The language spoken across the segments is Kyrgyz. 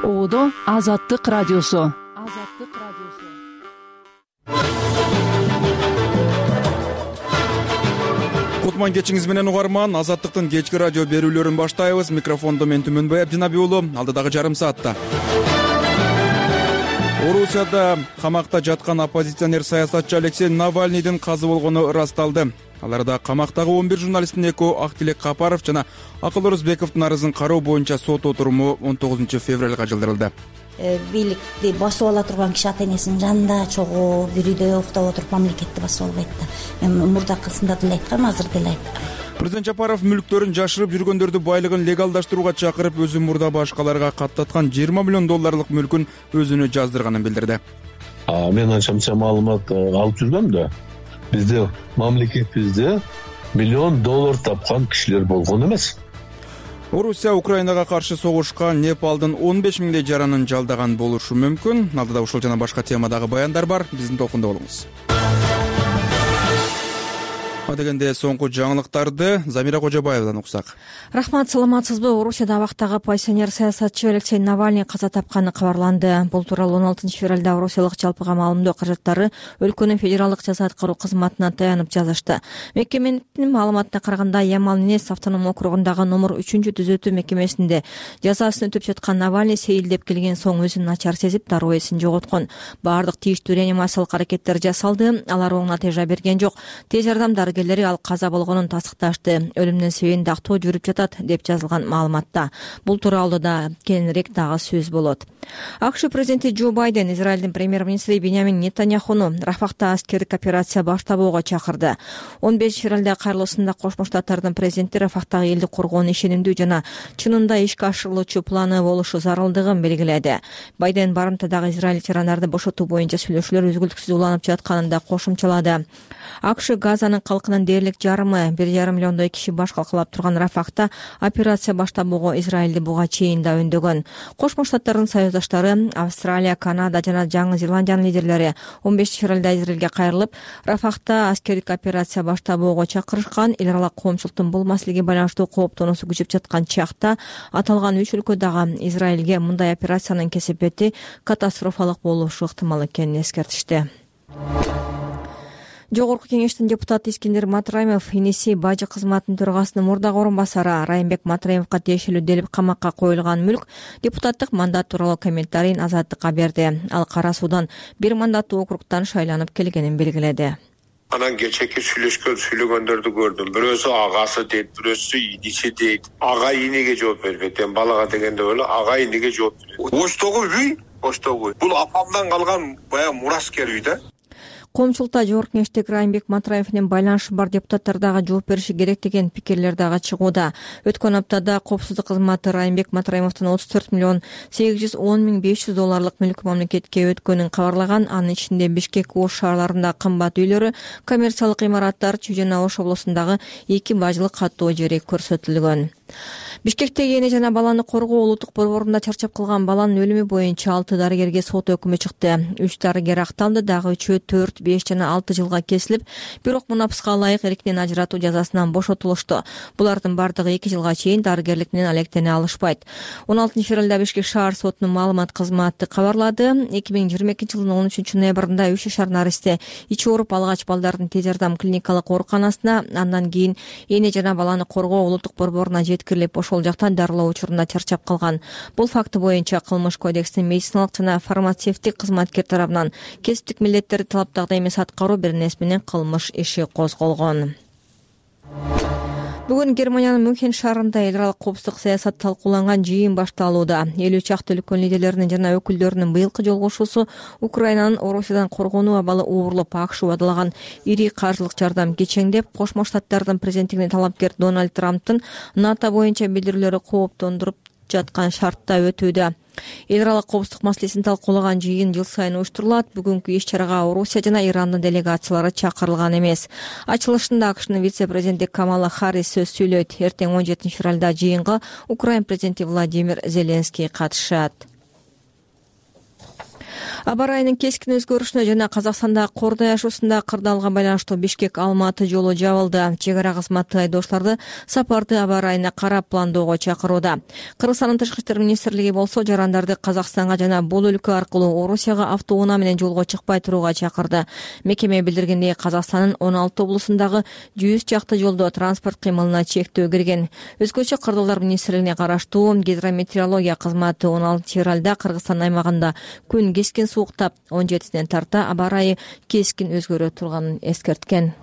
Оодо Азаттык радиосу. Кутман кечиңиз менен угарман. Азаттыктын кечки радио берүүлөрүн баштайбыз. Микрофондо мен Түмөнбай Абдинаби уулу. Алдыдагы жарым саатта Орусияда камакта жаткан оппозиционер саясатчы Алексей Навальныйдын казы болгону ырасталды. Аларда камактагы 11 журналисттин экөө Актилек Капаров жана Акыл Орозбековдун арызын кароо боюнча сот отуруму 19 февралга жылдырылды. Бийликти басып ала турган киши ата энесинин жанында чогуу бир үйдө уктап отуруп мамлекетти басып албайт да. Мен мурдакысында деле айткам, азыр деле айттым. Президент Жапаров мүлктөрүн жашырып жүргөндөрдү байлыгын легалдаштырууга чакырып, өзү мурда башкаларга каттаткан 20 миллион долларлык мүлкүн өзүнө жаздырганын билдирди. Мен анча маалымат алып жүргөм да. Бизде мамлекетибизде миллион доллар тапкан кишилер болгон эмес. Орусия Украинага каршы согушкан Непалдын 15 миңдей жаранын жалдаган болушу мүмкүн. Алдыда ушул жана башка темадагы баяндар бар. Биздин толкунда болуңуз. Дегенде соңку жаңылыктарды Замира Кожобаевадан уксак. Рахмат, саламатсызбы? Орусияда абактагы оппозиционер саясатчы Алексей Навальный каза тапканы кабарланды. Бул тууралуу 16 февралда Орусиялык жалпыга маалымдоо каражаттары өлкөнүн федералдык жаза аткаруу кызматына таянып жазышты. Мекеменин маалыматына караганда, Ямал-Ненец автоном округундагы номер 3-түзөтүү мекемесинде жазасын өтүп жаткан Навальный сейилдеп келген соң өзүн начар сезип, дароо эсин жоготкон. Баардык тийиштүү реанимациялык аракеттер жасалды. Алар оң натыйжа берген жок. Тез жардам дарыгерлери ал каза болгонун тастыкташты. Өлүмүнүн себебин дактоо жүрүп жатат деп жазылган маалыматта. Бул тууралуу да кененирээк дагы сөз болот. АКШ президенти Джо Байден Израилдин премьер-министри Беньямин Нетаньяхуну Рафахта аскердик операция баштабоого чакырды. 15 февралда кайрылуусунда Кошмо Штаттардын президенти Рафахтагы элди коргоонун ишенимдүү жана чынында ишке ашырылуучу планы болушу зарылдыгын белгиледи. Байден барымтадагы Израиль тирандарды бошотуу боюнча сүйлөшүүлөр үзгүлтүксүз уланып жатканын да кошумчалады. АКШ Газанын калкынын дээрлик жарымы 1,5 миллиондой киши баш калкалап турган Рафахта операция баштабоого Израилди буга чейин да өндөгөн. Кошмо Штаттардын союздаштары Австралия, Канада жана Жаңы Зеландиянын лидерлери 15 февралда Израилге кайрылып, Рафахта аскердик операция баштабоого чакырышкан. Эл аралык коомчулуктун бул маселеге байланыштуу кооптонуусу күчөп жаткан чакта аталган 3 өлкөдөгү Израилге мындай операциянын кесепети катастрофалык болушу ыктымал экенин эскертишти. Жогорку кеңештин депутаты Искендер Матраимов иниси бажы кызматынын төрагасынын мурдагы орун басары Райымбек Матраимовго тиешелүү делип камакка коюлган мүлк депутаттык мандат тууралуу комментарийин Азаттыкка берди. Ал Кара Суудан 1 мандаттуу округтан шайланып келгенин белгиледи. Анан кечеки сүйлөгөндөрдү көрдүм. Бирөөсү агасы дейт, бирөөсү иниси дейт. Ага инеге жооп бербейт. Балага дегенде эле ага инеге жооп берет. Оштогу үй, оштогу. Бул апамдан калган баягы мураскер үй да. Коомчулукта жогорку кеңештеги Райымбек Матраев менен байланышы бар депутаттар дагы жооп бериши керек деген пикирлер дагы чыгууда. Өткөн аптада коопсуздук кызматы Райымбек Матраевдин 34 миллион 810 миң 500 долларлык мүлкү мамлекетке өткөнүн кабарлаган. Анын ичинде Бишкек, Ош шаарларында кымбат үйлөрү, коммерциялык имараттар, Чүй жана Ош облусундагы 2 бажылык каттоо жери көрсөтүлгөн. Бишкектеги эне жана баланы коргоо улуттук борборунда чарчап калган баланын өлүмү боюнча 6 дарыгерге сот өкүмү чыкты. 3 дарыгер акталды, дагы 3-өө 4, 5 жана 6 жылга кесилип, бирок мунапыска ылайык эркинен ажыратуу жазасынан бошотулушту. Булардын бардыгы 2 жылга чейин дарыгерлик менен алектене алышпайт. 16 февралда Бишкек шаар сотунун маалымат кызматы кабарлады. 2022 жылдын 13 ноябрында Үч шаар Наристе ичи ооруп алгач балдардын тез жардам клиникалык ооруканасына, андан кийин эне жана баланы коргоо улуттук борборуна жеткирилип, ошол жактан дарылоо учурунда чарчап калган. Бул факты боюнча Кылмыш кодекстин медициналык жана фармацевтик кызматкер тарабынан кесиптик милдеттерди талаптагыдай эмес аткаруу беренеси менен кылмыш иши козголгон. Бүгүн Германиянын Мюнхен шаарында эл аралык коопсуздук саясат талкууланган жыйын башталууда. 50 чакты өлкөнүн лидерлеринин жана өкүлдөрүнүн быйылкы жолугушуусу Украинанын Орусиядан коргонуу абалы уурулуп, АКШ убадалаган ири каржылык жардам кечеңдеп, Кошмо Штаттардын президенттигине талапкер Дональд Трамптын НАТО боюнча билдирүүлөрү кооптондуруп жаткан шартта өтүүдө. Эл аралык коопсуздук маселесин талкуулаган жыйын жыл сайын уюштурулат. Бүгүнкү иш-чарага Орусия жана Ирандын делегациялары чакырылган эмес. Ачылышында АКШнын вице-президенти Камала Харрис сөз сүйлөйт. Эртең 17 февралда жыйынга Украина президенти Владимир Зеленский катышат. Аба ырайынын кескин өзгөрүшүнө жана Казакстанда кордой ашуусунда кырдаалга байланыштуу Бишкек-Алматы жолу жабылды. Чек ара кызматы айдоочуларды сапарды аба ырайына карап пландоого чакырууда. Кыргызстандын тышкы иштер министрлиги болсо жарандарды Казакстанга жана бул өлкө аркылуу Орусияга автоунаа менен жолго чыкпай турууга чакырды. Мекеме билдиргендей, Казакстандын 16 облусундагы 100 чакты жолдо транспорт кыймылына чектөө кирген. Өзгөчө Кырдаалдар министрлигине караштуу гидрометеорология кызматы 16 февралда Кыргызстан аймагында күн кескен сууктап 17-ден тарта аба ырайы кескин өзгөрө турганын эскерткен.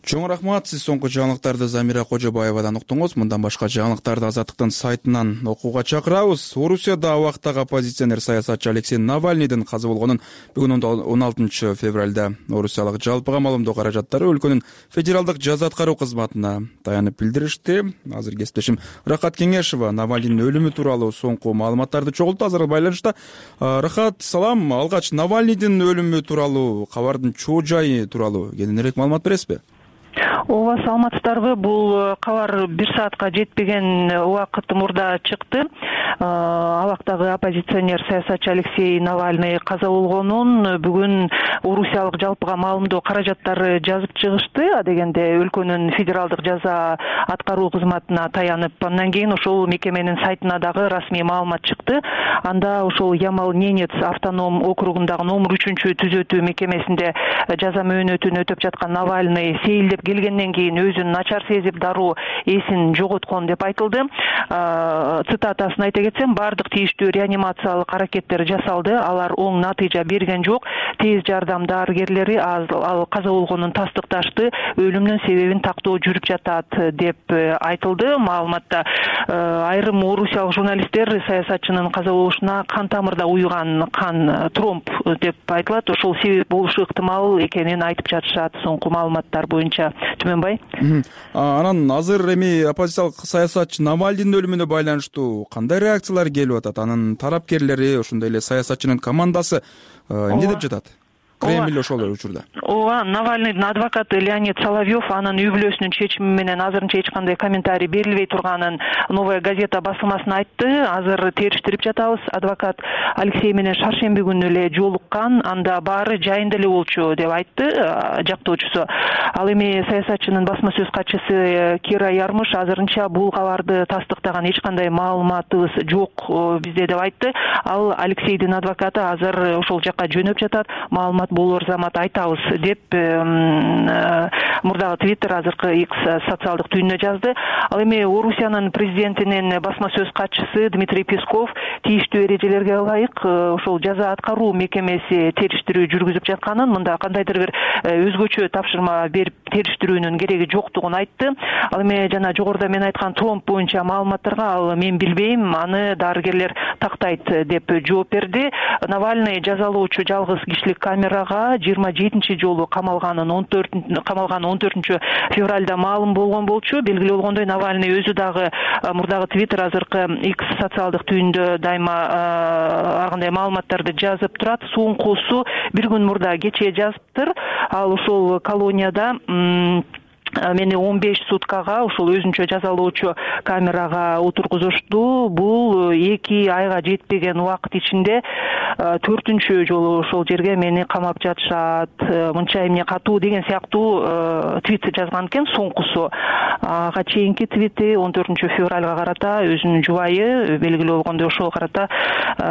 Чоң рахмат. Сиз соңку жаңылыктарды Замира Кожобаевадан уктуңуз. Мындан башка жаңылыктарды Азаттыктын сайтынан окууга чакырабыз. Орусияда убактагы оппозиционер саясатчы Алексей Навальныйдын каза болгонун бүгүн 16 февралда Орусиялык жалпыга маалымдоо каражаттары өлкөнүн федералдык жаза аткаруу кызматына таянып билдиришти. Азыр кесиптешим Рахат Кеңешова Навальныйдын өлүмү тууралуу соңку маалыматтарды чогултту. Азыр байланышта. Рахат, салам. Алгач Навальныйдын өлүмү тууралуу кабардын чоо жайы тууралуу кененирээк маалымат бересизби? Ооба, саламатсыздарбы. Бул кабар 1 саатка жетпеген убакыт мурда чыкты. Абактагы оппозиционер саясатчы Алексей Навальный каза болгонун бүгүн Орусиялык жалпыга маалымдоо каражаттары жазып чыгышты. Дегенде өлкөнүн федералдык жаза аткаруу кызматына таянып, андан кийин ошол мекеменин сайтына дагы расмий маалымат чыкты. Анда ошол Ямал-Ненец автоном округундагы номер 3-түзөтүү мекемесинде жаза мөөнөтүн өтөп жаткан Навальный сейилдеп келгенден кийин өзүн начар сезип, дароо эсин жоготкон деп айтылды. Цитатасын айта кетсем, бардык тийиштүү реанимациялык аракеттер жасалды, алар оң натыйжа берген жок. Тез жардам дарыгерлери ал каза болгонун тастыкташты, өлүмүнүн себебин тактоо жүрүп жатат деп айтылды маалыматта. Айрым орусиялык журналисттер саясатчынын каза болушуна кан тамырда уйган кан тромб деп айтылат, ошол себеп болушу ыктымал экенин айтып жатышат соңку маалыматтар боюнча. Түмөнбай. Анан азыр эми оппозициялык саясатчы Навальныйдын өлүмүнө байланыштуу кандай реакциялар келип атат? Анын тарапкерлери, ошондой эле саясатчынын командасы эмне деп жатат? Кремль ошол учурда. Ооба, Навальныйдын адвокаты Леонид Соловьев анын үй бүлөсүнүн чечими менен азырынча эч кандай комментарий берилбей турганын Новая газета басылмасына айтты. Азыр териштирип жатабыз. Адвокат Алексей менен шаршемби күнү эле жолуккан, анда баары жайында эле болчу деп айтты жактоочусу. Ал эми саясатчынын басма сөз катчысы Кира Ярмыш азырынча бул кабарды тастыктаган эч кандай маалыматыбыз жок бизде деп айтты. Ал Алексейдин адвокаты азыр ошол жакка жөнөп жатат. Маалымат болор замат айтабыз деп мурдагы Твиттер азыркы X социалдык түйүнүнө жазды. Ал эми Орусиянын президентинин басма сөз катчысы Дмитрий Песков тийиштүү эрежелерге ылайык ошол жаза аткаруу мекемеси териштирүү жүргүзүп жатканын, мында кандайдыр бир өзгөчө тапшырма берип териштирүүнүн кереги жоктугун айтты. Ал эми жана жогоруда мен айткан тромб боюнча маалыматтарга ал мен билбейм, аны дарыгерлер тактайт деп жооп берди. Навальный жазалоочу жалгыз кишилик камерага 27 жолу камалганын 14 февралда маалым болгон болчу. Белгилүү болгондой, Навальный өзү дагы мурдагы Твиттер азыркы X социалдык түйүндө дайыма ар кандай маалыматтарды жазып турат. Соңкусу бир күн мурда кечээ жазыптыр. Ал ошол колонияда мени 15 суткага ошол өзүнчө жазалоочу камерага отургузушту. Бул 2 айга жетпеген убакыт ичинде 4-чү жолу ошол жерге мени камап жатышат, мынча эмне катуу деген сыяктуу твит жазган экен. Соңкусу ага чейинки твити 14 февралга карата өзүнүн жубайы белгилүү болгондой ошого карата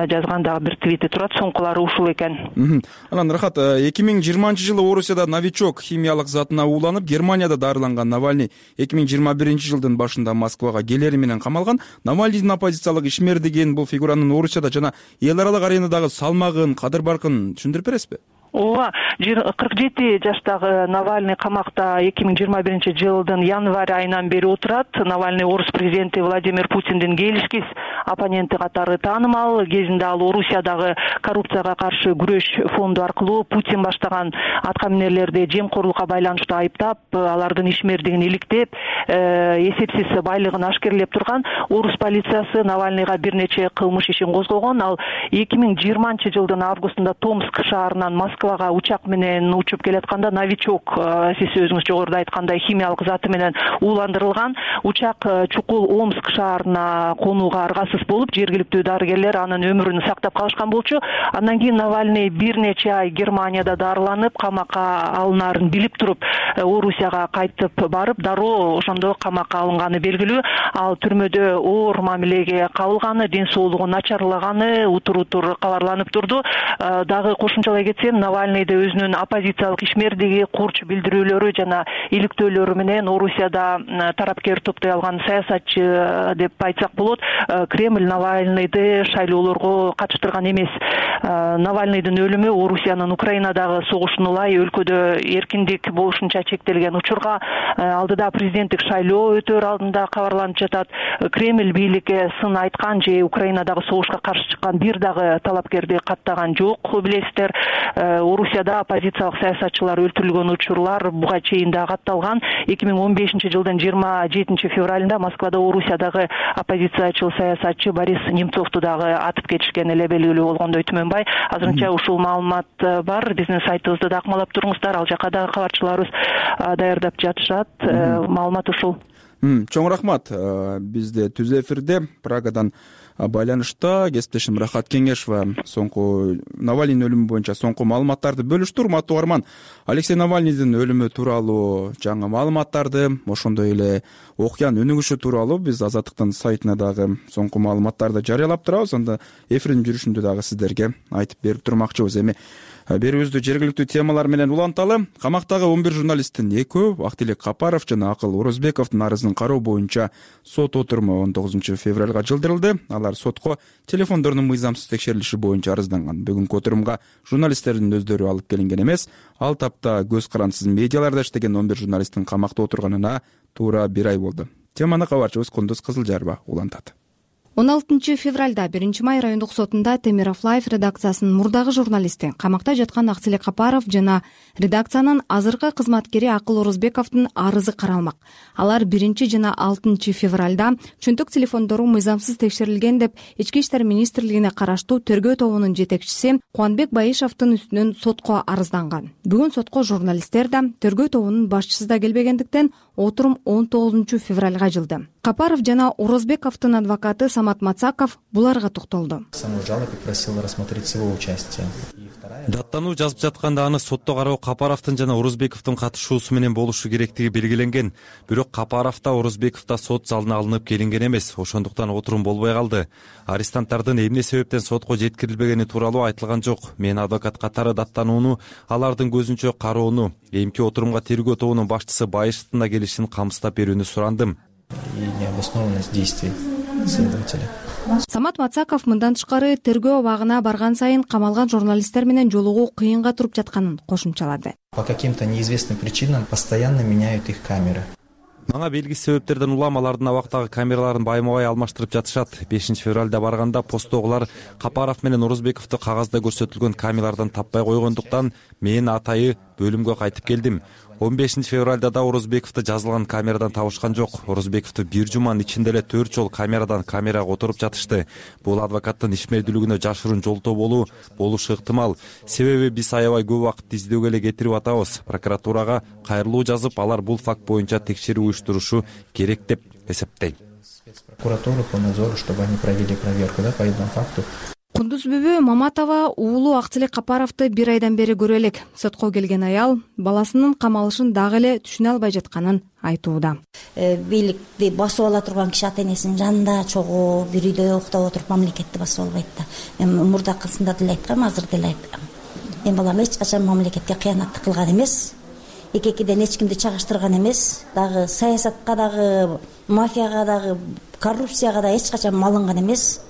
жазган дагы бир твити турат. Соңкулары ушул экен. Анан Рахат, 2020 жылы Орусияда новичок химиялык затына ууланып, Германияда дарыланган Навальный 2021 жылдын башында Москвага келери менен камалган. Навальныйдын оппозициялык ишмер деген бул фигуранын Орусияда жана эл аралык аренадагы салмагын, кадыр-баркын түшүндүрүп бересизби? Ооба, 47 жаштагы Навальный камакта 2021 жылдын январь айынан бери отурат. Навальный орус президенти Владимир Путиндин келишкис оппоненти катары таанымал. Кезинде ал Орусиядагы коррупцияга каршы күрөш фонду аркылуу Путин баштаган аткаминерлерди жемкорлукка байланыштуу айыптап, алардын ишмердигин иликтеп, эсепсиз байлыгын ашкерлеп турган. Орус полициясы Навальныйга бир нече кылмыш ишин козгогон. Ал 2020 жылдын августунда Томск шаарынан Москвага учак менен учуп келатканда новичок, сиз өзүңүз жогоруда айткандай, химиялык заты менен ууландырылган. Учак чукул Омск шаарына конууга аргасыз абалсыз болуп жергиликтүү дарыгерлер анын өмүрүн сактап калышкан болчу. Андан кийин Навальный бир нече ай Германияда дарыланып, камакка алынаарын билип туруп, Орусияга кайтып барып, дароо ошондо камакка алынганы белгилүү. Ал түрмөдө оор мамилеге кабылганы, ден соолугу начарлаганы утур кабарланып турду. Дагы кошумчалай кетсем, Навальныйды өзүнүн оппозициялык ишмердиги, курч билдирүүлөрү жана иликтөөлөрү менен Орусияда тарапкер топтой алган саясатчы деп айтсак болот. Кремль Навальныйды шайлоолорго катыштырган эмес. Навальныйдын өлүмү Орусиянын Украинадагы согушун улай өлкөдө эркиндик болушунча чектелген учурга алдыда президенттик шайлоо өтөр алдында кабарланып жатат. Кремль бийликке сын айткан же Украинадагы согушка каршы чыккан бир дагы талапкерди каттаган жок, билесиздер. Орусияда оппозициялык саясатчылар өлтүрүлгөн учурлар буга чейин да катталган. 2015-жылдын 27 февралында Москвада Орусиядагы оппозициячыл саясатчы Борис Немцовду дагы атып кетишкен эле белгилүү болгондой Түмөнбай. Азырынча ушул маалымат бар. Биздин сайтыбызды да акмалап туруңуздар. Ал жака дагы кабарчыларыбыз даярдап жатышат. Маалымат ушул. Чоң рахмат. Бизде түз эфирде Прагадан байланышта кесиптешим Рахат Кеңешова соңку Навальнийдин өлүмү боюнча соңку маалыматтарды бөлүштү. Урматтуу угарман, Алексей Навальнийдин өлүмү тууралуу жаңы маалыматтарды, ошондой эле окуянын өнүгүшү тууралуу биз Азаттыктын сайтына дагы соңку маалыматтарды жарыялап турабыз. Анда эфирдин жүрүшүндө дагы сиздерге айтып берип турмакчыбыз. Эми берүүбүздү жергиликтүү темалар менен уланталы. Камактагы 11 журналисттин экөө, Актилек Капаров жана Акыл Орозбековдун арызын кароо боюнча сот отуруму 19 февралга жылдырылды. Алар сотко телефондордун мыйзамсыз текшерилиши боюнча арызданган. Бүгүнкү отурумга журналисттердин өздөрү алып келинген эмес. Ал тапта көз карандысыз медиаларда иштеген 11 журналисттин камакта отурганына туура 1 ай болду. Теманы кабарчыбыз Кундуз Кызылжарова улантат. 16 февралда 1 май райондук сотунда Темиров Лайф редакциясынын мурдагы журналисти, камакта жаткан Актилек Капаров жана редакциянын азыркы кызматкери Акыл Орозбековдун арызы каралмак. Алар 1 жана 6 февралда чөнтөк телефондору мыйзамсыз текшерилген деп Ички иштер министрлигине караштуу тергөө тобунун жетекчиси Кубанбек Байышевдин үстүнөн сотко арызданган. Бүгүн сотко журналисттер да, тергөө тобунун башчысы да келбегендиктен отурум 19 февралга жылды. Капаров жана Орозбековдун адвокаты Самат Мацаков буларга токтолду. Даттануу жазып жатканда аны сотто кароо Капаровдун жана Орозбековдун катышуусу менен болушу керектиги белгиленген. Бирок Капаров да Орозбеков да сот залына алынып келинген эмес. Ошондуктан отурум болбой калды. Арестанттардын эмне себептен сотко жеткирилбегени тууралуу айтылган жок. Мен адвокат катары даттанууну, алардын көзүнчө кароону, эмки отурумга тергөө тобунун башчысы Байышевдин да келишин камсыздап берүүнү сурандым. Необоснованность действий следователя. Самат Мацаков мындан тышкары тергөө абагына барган сайын камалган журналисттер менен жолугуу кыйынга туруп жатканын кошумчалады. По каким-то неизвестным причинам постоянно меняют их камеры. Мага белгисиз себептерден улам алардын абактагы камераларын байма-бай алмаштырып жатышат. 5 февралда барганда посттогулар Капаров менен Орозбековду кагазда көрсөтүлгөн камералардан таппай койгондуктан мен атайы бөлүмгө кайтып келдим. 15 февралда да Орозбековду жазылган камерадан табышкан жок. Орозбековду бир жуманын ичинде эле 4 жол камерадан камерага отуруп жатышты. Бул адвокаттын ишмердүүлүгүнө жашыруун жолтоо болушу ыктымал. Себеби биз аябай көп убакытты издөөгө эле кетирип атабыз. Прокуратурага кайрылуу жазып, алар бул факт боюнча текшерүү уюштурушу керек деп эсептейм. Прокуратуру по надзору, чтобы они провели проверку, по этому факту. Кундуз Бүбү Маматова уулу Актилек Капаровду 1 айдан бери көрө элек. Сотко келген аял баласынын камалышын дагы эле түшүнө албай жатканын айтууда. Бийликти басып ала турган киши ата энесинин жанында чогуу бир үйдө уктап отуруп мамлекетти басып албайт да. Мен мурдакысында деле айткам, азыр деле айткам. Мен балам эч качан мамлекетке кыянат кылган эмес. Эки-экиден эч кимди чагыштырган эмес. Дагы саясатка дагы, мафияга дагы, коррупцияга да эч качан малынган эмес.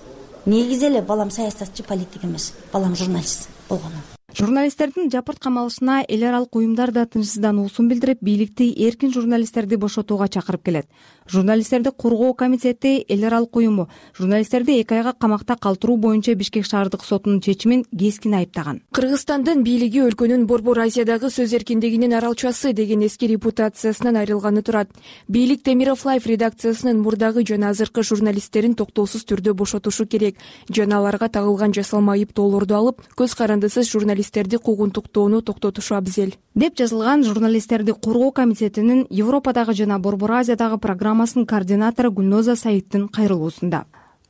Негизи эле балам саясатчы, политик эмес. Балам журналист болгон. Журналисттердин жапырт камалышына эл аралык уюмдар да тынчсыздануусун билдирип, бийликти эркин журналисттерди бошотууга чакырып келет. Журналисттерди коргоо комитети эл аралык уюму журналисттерди 2 айга камакта калтыруу боюнча Бишкек шаардык сотунун чечимин кескин айыптаган. Кыргызстандын бийлиги өлкөнүн Борбор Азиядагы сөз эркиндигинин аралчасы деген эски репутациясынан айрылганы турат. Бийлик Темиров Лайф редакциясынын мурдагы жана азыркы журналисттерин токтоосуз түрдө бошотушу керек. Жана аларга тагылган жасалма айыптоолорду алып, көз карандысыз журналисттерди куугунтуктоону токтотушу абзел деп жазылган журналисттерди коргоо комитетинин Европадагы жана Борбор Азиядагы программасынын координатору Гүлноза Саидтин кайрылуусунда.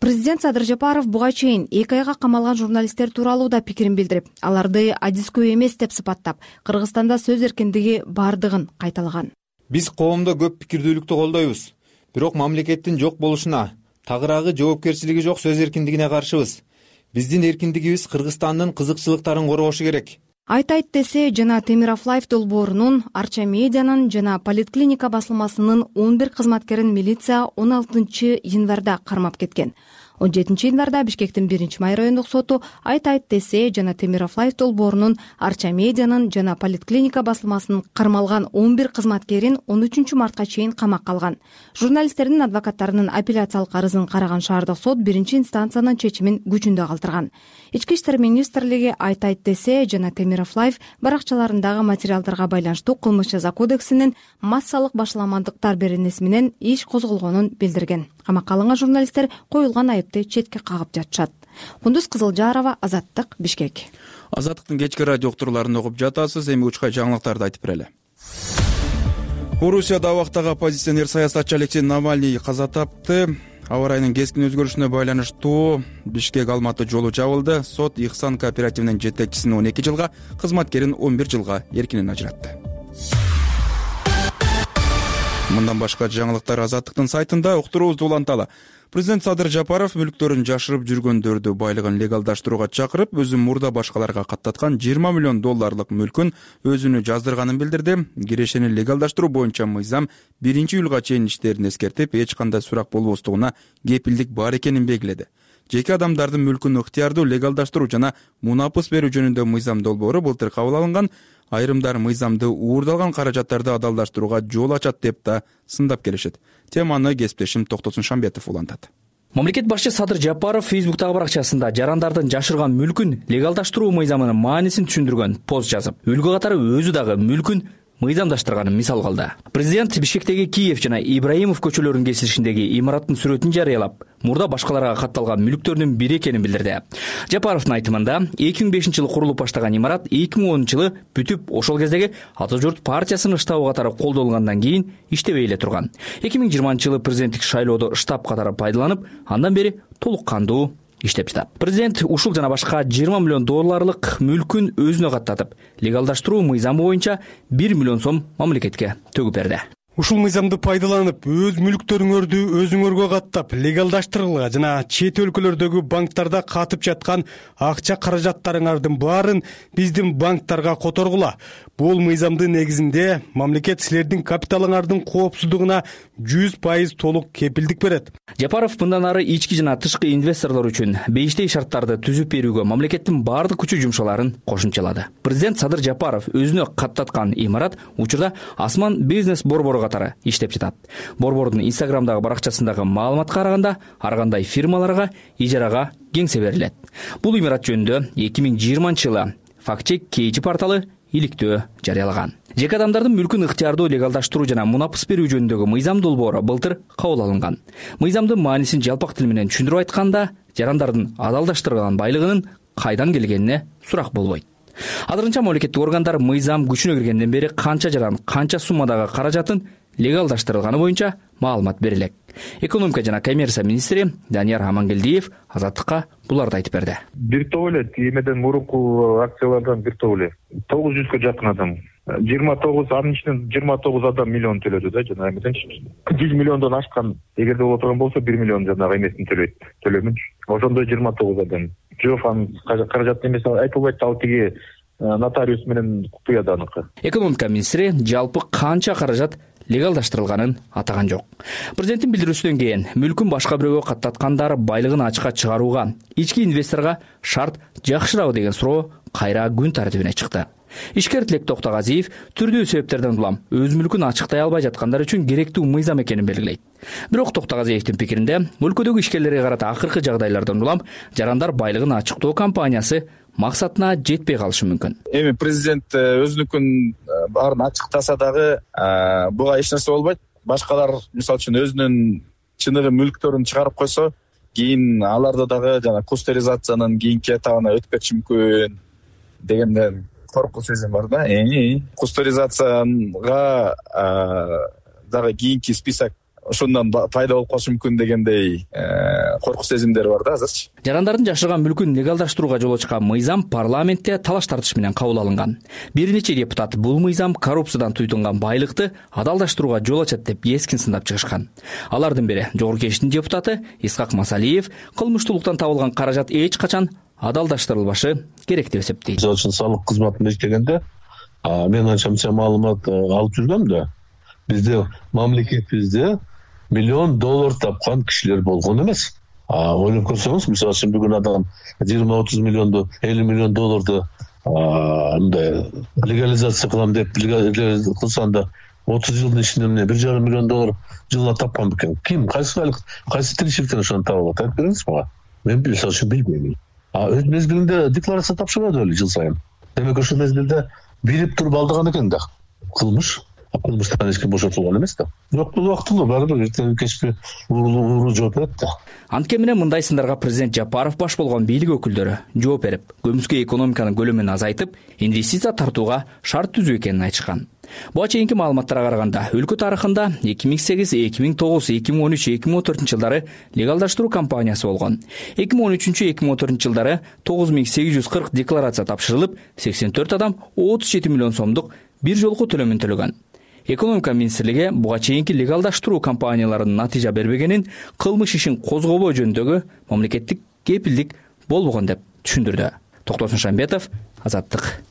Президент Садыр Жапаров буга чейин 2 айга камалган журналисттер тууралуу да пикирин билдирип, аларды адискөө эмес деп сыпаттап, Кыргызстанда сөз эркиндиги бардыгын кайталаган. Биз коомдо көп пикирдүүлүктү колдойбуз, бирок мамлекеттин жок болушуна, тагыраагы жоопкерчилиги жок сөз эркиндигине каршыбыз. Биздин эркиндигибиз Кыргызстандын кызыкчылыктарын коргошу керек. Айтайт десе жана Темиров Лайф долбоорунун, Арча медианын жана Политклиника басылмасынын 11 кызматкерин милиция 16 январда кармап кеткен. 17 январда Бишкектин 1-Май райондук соту Айтайт десе жана Темиров Лайф долбоорунун, Арча медианын жана Политклиника басылмасынын кармалган 11 кызматкерин 13 мартка чейин камакка алган. Журналисттердин адвокаттарынын апелляциялык арызын караган шаардык сот 1-инстанциянын чечимин күчүндө калтырган. Ички иштер министрлиги Айтайт десе жана Темиров Лайф баракчаларындагы материалдарга байланыштуу кылмыш жаза кодексинин массалык башаламандыктар беренеси менен иш козголгонун билдирген. Камакка алынган журналисттер коюлган айыпты четке кагып жатышат. Кундуз Кызылжарова, Азаттык, Бишкек. Азаттыктын кечки радио уктурууларын угуп жатасыз. Эми учка жаңылыктарды айтып берели. Орусияда абактагы оппозиционер саясатчы Алексей Навальный каза тапты. Аба ырайынын кескин өзгөрүшүнө байланыштуу Бишкек Алматы жолу жабылды. Сот Ихсан кооперативинин жетекчисин 12 жылга, кызматкерин 11 жылга эркинен ажыратты. Мындан башка жаңылыктар Азаттыктын сайтында уктуруубузду уланталы. Президент Садыр Жапаров мүлктөрүн жашырып жүргөндөрдү байлыгын легалдаштырууга чакырып, өзү мурда башкаларга каттаткан $20 миллион мүлкүн өзүнө жаздырганын билдирди. Кирешени легалдаштыруу боюнча мыйзам 1-июлга чейин иштерин эскертип, эч кандай сурак болбостугуна кепилдик бар экенин белгиледи. Жеке адамдардын мүлкүн ыктыярдуу легалдаштыруу жана мунапыс берүү жөнүндө мыйзам долбоору былтыр кабыл алынган. Айрымдар мыйзамды уурдалган каражаттарды адалдаштырууга жол ачат деп да сындап келишет. Теманы кесиптешим Токтосун Шамбетов улантат. Мамлекет башчы Садыр Жапаров Фейсбуктагы баракчасында жарандардын жашырган мүлкүн легалдаштыруу мыйзамынын маанисин түшүндүргөн пост жазып, үлгү катары өзү дагы мүлкүн мыйзамдаштырганын мисал кылды. Президент Бишкектеги Киев жана Ибраимов көчөлөрүнүн кесилишиндеги имараттын сүрөтүн жарыялап, мурда башкаларга катталган мүлктөрдүн бири экенин билдирди. Жапаровдун айтымында 2005-жылы курулуп баштаган имарат 2010-жылы бүтүп, ошол кездеги Ата журт партиясынын штабы катары колдонулгандан кийин иштебей эле турган. 2020-жылы президенттик шайлоодо штаб катары пайдаланып, андан бери толук кандуу иштеп жатат. Президент ушул жана башка $20 миллион мүлкүн өзүнө каттатып, легалдаштыруу мыйзамы боюнча $1 миллион мамлекетке төгүп берди. Ушул мыйзамды пайдаланып, өз мүлктөрүңөрдү өзүңөргө каттап, легалдаштыргыла жана чет өлкөлөрдөгү банктарда катып жаткан акча каражаттарыңардын баарын биздин банктарга которгула. Бул мыйзамдын негизинде мамлекет силердин капиталыңардын коопсуздугуна 100% толук кепилдик берет. Жапаров мындан ары ички жана тышкы инвесторлор үчүн бейиштей шарттарды түзүп берүүгө мамлекеттин бардык күчү жумшаларын кошумчалады. Президент Садыр Жапаров өзүнө каттаткан имарат учурда Асман бизнес борбору катары иштеп жатат. Борбордун Инстаграмдагы баракчасындагы маалыматка караганда, ар кандай фирмаларга ижарага кеңсе берилет. Бул имарат жөнүндө 2020-жылы Фактчек Кейчи порталы иликтөө жарыялаган. Жеке адамдардын мүлкүн ыктыярдуу легалдаштыруу жана мунапыс берүү жөнүндөгү мыйзам долбоору былтыр кабыл алынган. Мыйзамдын маанисин жалпак тил менен түшүндүрүп айтканда, жарандардын адалдаштырылган байлыгынын кайдан келгенине сурак болбойт. Азырынча мамлекеттик органдар мыйзам күчүнө киргенден бери канча жаран, канча суммадагы каражатын легалдаштырылганы боюнча маалымат берилет. Экономика жана коммерция министри Данияр Амангелдиев Азаттыкка буларды айтып берди. Бир топ эле эмеден мурунку акциялардан бир топ эле 900 жакын адам. 29 анын ичинен 29 адам миллион төлөдү да, жана эмеденчи 100 миллиондон ашкан, эгерде боло турган болсо 1 миллион жанагы эмесин төлөмүнчү. Ошондой 29 адам. Жок, анын каражат эмеси айтылбайт, ал тиги нотариус менен купуяда аныкы. Экономика министри жалпы канча каражат легалдаштырылганын атаган жок. Президенттин билдирүүсүнөн кийин мүлкүн башка бирөөгө каттаткандар байлыгын ачыкка чыгарууга, ички инвесторго шарт жакшырабы деген суроо кайра күн тартибине чыкты. Ишкер Тилек Токтогазиев түрдүү себептерден улам өз мүлкүн ачыктай албай жаткандар үчүн керектүү мыйзам экенин белгилейт. Бирок Токтогазиевдин пикиринде, өлкөдөгү ишкерлерге карата акыркы жагдайлардан улам жарандар байлыгын ачыктоо кампаниясы максатына жетпей калышы мүмкүн. Эми президент өзүнүкүн баарын ачыктаса дагы буга эч нерсе болбойт. Башкалар мисалы үчүн өзүнүн чыныгы мүлктөрүн чыгарып койсо, кийин аларды дагы жана кустеризациянын кийинки этабына өтүп кетиши мүмкүн дегенден коркуу сезим бар да. Кустеризацияга дагы кийинки список ошондон пайда болуп калышы мүмкүн дегендей коркуу сезимдери бар да азырчы. Жарандардын жашырган мүлкүн легалдаштырууга жол ачкан мыйзам парламентте талаш тартыш менен кабыл алынган. Бир нече депутат бул мыйзам коррупциядан туйтунган байлыкты адалдаштырууга жол ачат деп эскин сындап чыгышкан. Алардын бири Жогорку Кеңештин депутаты Исхак Масалиев кылмыштуулуктан табылган каражат эч качан адалдаштырылбашы керек деп эсептейт. Мисалы үчүн салык кызматын иштегенде мен анча мынча маалымат алып жүргөм да, бизде мамлекетибизде $1 миллион тапкан кишилер болгон эмес. Ойлоп көрсөңүз, мисалы үчүн бүгүн адам 20-30 миллионду, $50 миллион мындай легализация кылам деп кылсаң да 30 жылдын ичинде эмне $1,5 миллион жылына тапкан бекен. Ким, кайсы тиричиликтен ошону таап алат? Айтып бериңиз мага. Мен мисалы үчүн билбейм. Өз мезгилинде декларация тапшырбады беле жыл сайын. Демек ошол мезгилде билип туруп алдыган экен да. Кылмыштан эч ким бошотулган эмес да. Бирок бул убактылуу, баары бир эртең кечки ууру жооп берет да. Анткени менен мындай сындарга президент Жапаров баш болгон бийлик өкүлдөрү жооп берип, көмүскө экономиканын көлөмүн азайтып, инвестиция тартууга шарт түзүү экенин айтышкан. Буга чейинки маалыматтарга караганда, өлкө тарыхында 2008, 2009, 2013, 2014 жылдары легалдаштыруу кампаниясы болгон. 2013-2014 жылдары 9840 декларация тапшырылып, 84 адам 37 миллион сомдук бир жолку төлөмүн төлөгөн. Экономика министрлиги буга чейинки легалдаштыруу кампанияларынын натыйжа бербегенин, кылмыш ишин козгобоо жөнүндөгү мамлекеттик кепилдик болбогон деп түшүндүрдү. Токтосун Шамбетов, Азаттык.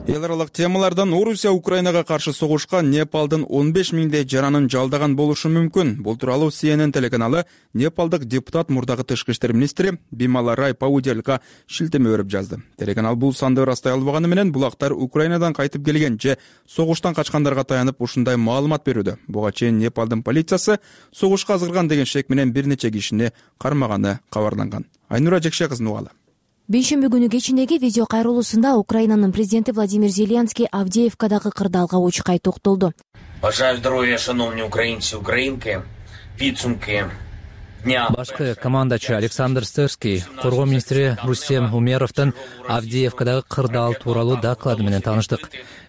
Эл аралык темалардан Орусия Украинага каршы согушкан Непалдын 15 миңдей жаранын жалдаган болушу мүмкүн. Бул тууралуу CNN телеканалы Непалдык депутат мурдагы тышкы иштер министри Бимала Рай Паудельга шилтеме берип жазды. Телеканал бул санды ырастай албаганы менен булактар Украинадан кайтып келген же согуштан качкандарга таянып ушундай маалымат берүүдө. Буга чейин Непалдын полициясы согушка азгырган деген шек менен бир нече кишини кармаганы кабарланган. Айнура Жекше кызын угалы. Бейшемби күнү кечиндеги видео кайрылуусунда Украинанын президенти Владимир Зеленский Авдеевкадагы кырдаалга учкай токтолду. Бажаю здоровья, шановні українці, українки, підсумки дня. Башкы командачы Александр Стырский, коргоо министри Рустем Умеровдун Авдеевкадагы кырдаал тууралуу доклады менен тааныштык.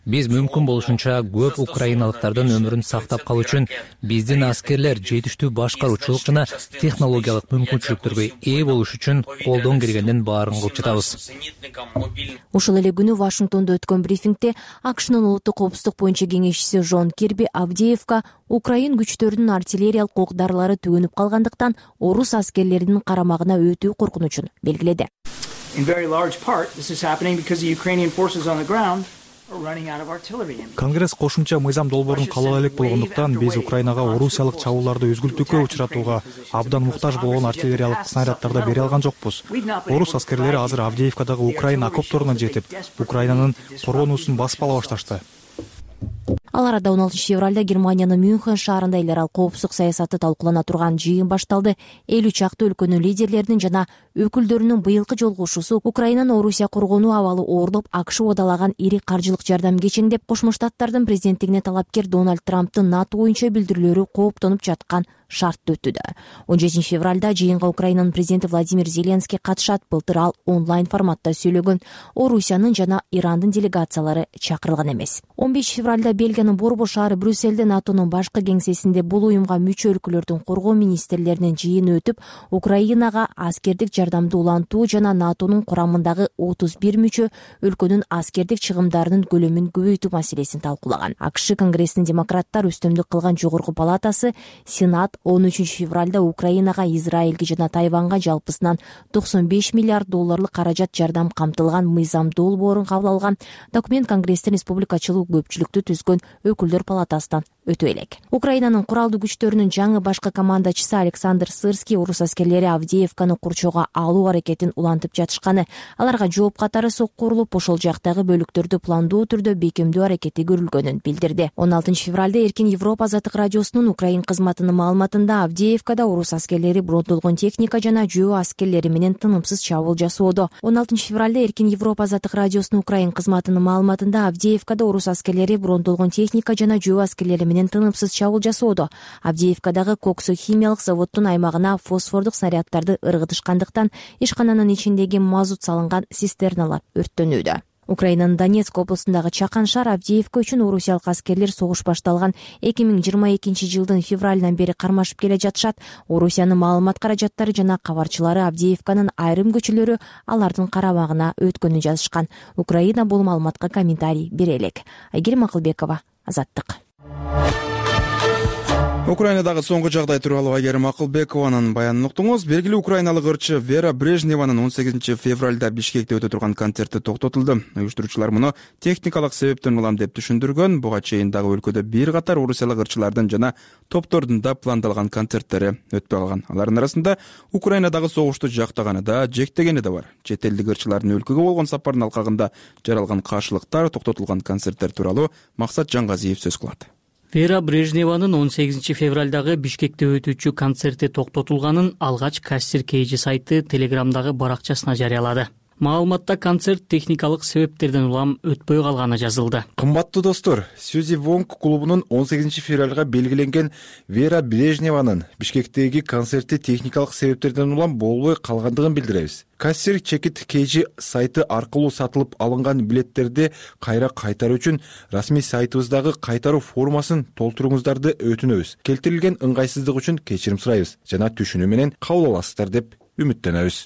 Биз мүмкүн болушунча көп украиналыктардын өмүрүн сактап калуу үчүн биздин аскерлер жетиштүү башкаруучулук жана технологиялык мүмкүнчүлүктөргө ээ болуш үчүн колдон келгендин баарын кылып жатабыз. Ушул эле күнү Вашингтондо өткөн брифингде АКШнын улуттук коопсуздук боюнча кеңешчиси Жон Кирби Авдеевка Украин күчтөрүнүн артиллериялык ок-дарылары төгөнүп калгандыктан орус аскерлеринин карамагына өтүү коркунучун белгиледи. Конгресс кошумча мыйзам долбоорун каалала элек болгондуктан биз Украинага орусиялык чабуулдарды үзгүлтүүгө учуратууга абдан муктаж болгон артиллериялык снаряддарды бере алган жокпуз. Орус аскерлери азыр Авдеевкадагы Украина окопторуна жетип, Украинанын коргонуусун басып ала башташты. Ал арада 16 февралда Германиянын Мюнхен шаарында эл аралык коопсуздук саясаты талкуулана турган жыйын башталды. 50 чакты өлкөнүн лидерлеринин жана өкүлдөрүнүн быйылкы жолугушуусу Украинаны Орусия коргонуу абалы оорлоп, АКШ убадалаган ири каржылык жардам кечеңдеп, Кошмо Штаттардын президенттигине талапкер Дональд Трамптын НАТО боюнча билдирүүлөрү кооптонуп жаткан шартты өтүүдө. 17 февралда жыйынга Украинанын президенти Владимир Зеленский катышат. Былтыр ал онлайн форматта сүйлөгөн. Орусиянын жана Ирандын делегациялары чакырылган эмес. 15 февралда Бельгиянын Борбор шаары Брюссельде НАТОнун башкы кеңсесинде бул уюмга мүчө өлкөлөрдүн коргоо министрлеринин жыйыны өтүп, Украинага аскердик жардамды улантуу жана НАТОнун курамындагы 31 мүчө өлкөнүн аскердик чыгымдарынын көлөмүн көбөйтүү маселесин талкуулаган. АКШ Конгрессинин демократтар үстөмдүк кылган жогорку палатасы Сенат 13 февралда Украинага, Израилге жана Тайванга жалпысынан $95 миллиард каражат жардам камтылган мыйзам долбоорун кабыл алган. Документ Конгресстин республикачылык көпчүлүктү түзгөн өкүлдөр палатасынан өтө элек. Украинанын куралдуу күчтөрүнүн жаңы башкы командачысы Александр Сырский орус аскерлери Авдеевканы курчоого алуу аракетин улантып жатышканы, аларга жооп катары сокку урулуп, ошол жактагы бөлүктөрдү пландуу түрдө бекемдөө аракети көрүлгөнүн билдирди. 16 февралда Эркин Европа азаттык радиосунун Украин кызматынын маалыматында Авдеевкада орус аскерлери бронтолгон техника жана жөө аскерлери менен тынымсыз чабуул жасоодо. 16 февралда Эркин Европа азаттык радиосунун Украин кызматынын маалыматында Авдеевкада орус аскерлери бронтолгон техника жана жөө аскерлери менен тынымсыз чабуул жасоодо. Авдеевкадагы Коксо химиялык заводдун аймагына фосфордук снаряддарды ыргытышкандыктан ишкананын ичиндеги мазут салынган цистерналар өрттөнүүдө. Украинанын Донецк облусундагы Чакан шаар Авдеевка үчүн орусиялык аскерлер согуш башталган 2022 жылдын февралынан бери кармашып келе жатышат. Орусиянын маалымат каражаттары жана кабарчылары Авдеевканын айрым көчөлөрү алардын карамагына өткөнүн жазышкан. Украина бул маалыматка комментарий бере элек. Айгерим Акылбекова, Азаттык. Украинадагы соңку жагдай тууралуу Айгерим Акылбекованын баянын уктуңуз. Белгилүү украиналык ырчы Вера Брежневанын 18 февралда Бишкекте өтө турган концерти токтотулду. Уюштуруучулар муну техникалык себептен улам деп түшүндүргөн. Буга чейин дагы өлкөдө бир катар орусиялык ырчылардын жана топтордун да пландалган концерттери өтпөй калган. Алардын арасында Украинадагы согушту жактаганы да, жектегени да бар. Чет элдик ырчылардын өлкөгө болгон сапарынын алкагында жаралган каршылыктар, токтотулган концерттер тууралуу Максат Жангазиев сөз кылат. Вера Брежневанын 18 февралдагы Бишкекте өтүүчү концерти токтотулганын алгач Кассир Кейжи сайты Телеграмдагы баракчасына жарыялады. Маалыматта концерт техникалык себептерден улам өтпөй калганы жазылды. Кымбаттуу достор, Сьюзи Вонг клубунун 18 февралга белгиленген Вера Брежневанын Бишкектеги концерти техникалык себептерден улам болбой калгандыгын билдиребиз. Кассир Чекит Кейжи сайты аркылуу сатылып алынган билеттерди кайра кайтаруу үчүн расмий сайтыбыздагы кайтаруу формасын толтуруңуздарды өтүнөбүз. Келтирилген ыңгайсыздык үчүн кечирим сурайбыз жана түшүнүү менен кабыл аласыздар деп үмүттөнөбүз.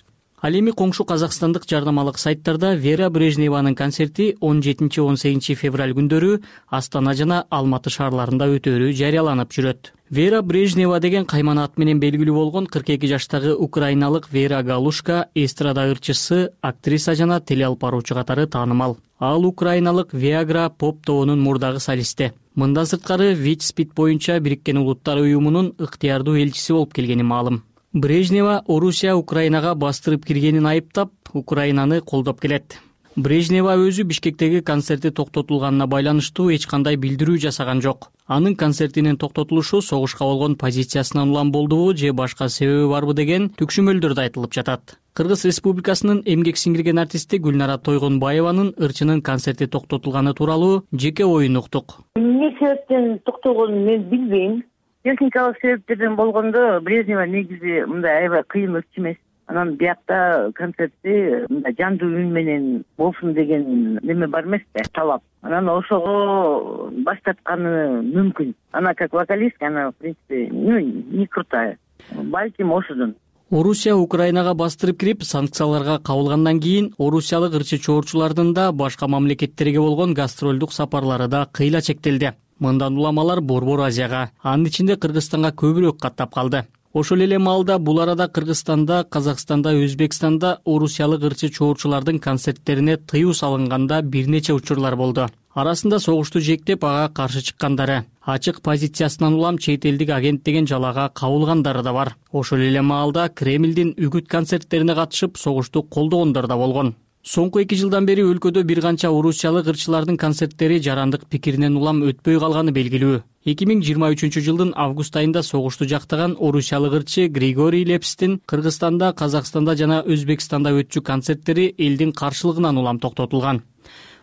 Ал эми коңшу казакстандык жарнамалык сайттарда Вера Брежневанын концерти 17-18 февраль күндөрү Астана жана Алматы шаарларында өтөөрү жарыяланып жүрөт. Вера Брежнева деген кайман ат менен белгилүү болгон 42 жаштагы украиналык Вера Галушка эстрада ырчысы, актриса жана телеалпаруучу катары таанымал. Ал украиналык Viagra поп тобунун мурдагы солисти. Мындан сырткары Витспит боюнча Бириккен Улуттар уюмунун ыктыярдуу элчиси болуп келгени маалым. Брежнева Орусия Украинага бастырып киргенин айыптап, Украинаны колдоп келет. Брежнева өзү Бишкектеги концерти токтотулганына байланыштуу эч кандай билдирүү жасаган жок. Анын концертинин токтотулушу согушка болгон позициясынан улам болдубу же башка себеби барбы деген түкшүмөлдөр да айтылып жатат. Кыргыз Республикасынын эмгек сиңирген артисти Гүлнара Тойгонбаеванын ырчынын концерти токтотулганы тууралуу жеке оюн уктук. Эмне себептен токтолгонун мен билбейм. Техникалык себептерден болгондо Брежнева негизи мындай аябай кыйын ырчы эмес. Анан биякта концертти мындай жандуу үн менен болсун деген неме бар эмес да, талап. Анан ошого баштатканы мүмкүн. Она как вокалистка, она в принципе, не крутая. Балким ошодон. Орусия Украинага бастырып кирип, санкцияларга кабылгандан кийин орусиялык ырчы чоорчулардын да башка мамлекеттерге болгон гастролдук сапарлары да кыйла чектелди. Мындан улам алар Борбор Азияга, анын ичинде Кыргызстанга көбүрөөк каттап калды. Ошол эле маалда бул арада Кыргызстанда, Казакстанда, Өзбекстанда орусиялык ырчы чоорчулардын концерттерине тыюу салынганда бир нече учурлар болду. Арасында согушту жектеп ага каршы чыккандары, ачык позициясынан улам чет элдик агент деген жалага кабылгандары да бар. Ошол эле маалда Кремлдин үгүт концерттерине катышып согушту колдогондор да болгон. Соңку 2 жылдан бери өлкөдө бир канча орусиялык ырчылардын концерттери жарандык пикиринен улам өтпөй калганы белгилүү. 2023 жылдын август айында согушту жактаган орусиялык ырчы Григорий Лепстин Кыргызстанда, Казакстанда жана Өзбекстанда өтчү концерттери элдин каршылыгынан улам токтотулган.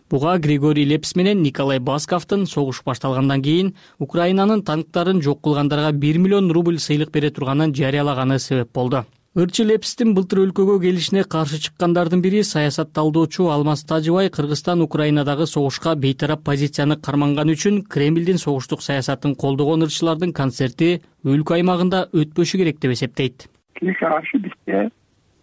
Буга Григорий Лепс менен Николай Басковдун согуш башталгандан кийин Украинанын танктарын жок кылгандарга 1 миллион рубль сыйлык бере турганын жарыялаганы себеп болду. Ырчы Лепстин былтыр өлкөгө келишине каршы чыккандардын бири саясат талдоочу Алмаз Тажыбай Кыргызстан Украинадагы согушка бейтарап позицияны карманганы үчүн Кремлдин согуштук саясатын колдогон ырчылардын концерти өлкө аймагында өтпөшү керек деп эсептейт. Тилекке каршы бизде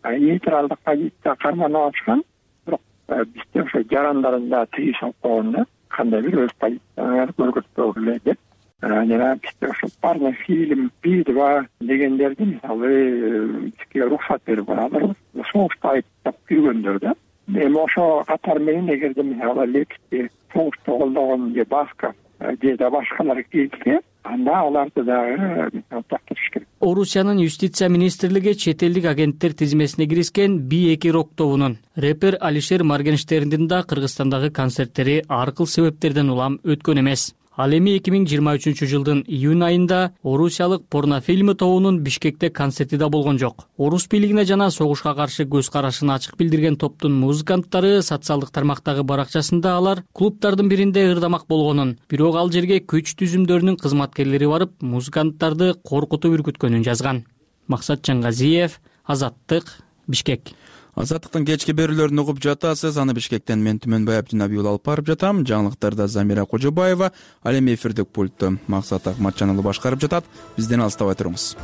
нейтралдык позиция карманып алышкан, бирок бизде ошо жарандарын да тыюу салып койгондо кандай бир өз позицияларын көрсөтпөгүлө деп. Жана бизде ошо парный фильм, Би-2 дегендерди мисалы бизге уруксат берип алабыз. Согушта айыптап киргөндөр да. Эми ошо катар менен эгерде мисалы Лепсти согушту колдогон же Басков же да башкалар келсе, анда аларды дагы токтотуш керек. Орусиянын юстиция министрлиги чет элдик агенттер тизмесине киришкен Би-2 рок тобунун рэпер Алишер Моргенштерндин да Кыргызстандагы концерттери ар кыл себептерден улам өткөн эмес. Ал эми 2023 жылдын июнь айында орусиялык порнофильмы тобунун Бишкекте концерти да болгон жок. Орус бийлигине жана согушка каршы көз карашын ачык билдирген топтун музыканттары социалдык тармактагы баракчасында алар клубтардын биринде ырдамак болгонун, бирок ал жерге күч түзүмдөрүнүн кызматкерлери барып, музыканттарды коркутуп үркүткөнүн жазган. Максат Жангазиев, Азаттык, Бишкек. Азаттыктын кечки берүүлөрүн угуп жатасыз. Аны Бишкектен мен Түмөнбай Абдинабиул алып барып жатам. Жаңылыктарда Замира Кожобаева, ал эми эфирдик пультту Максат Акматжан уулу башкарып жатат. Бизден алыстабай туруңуз.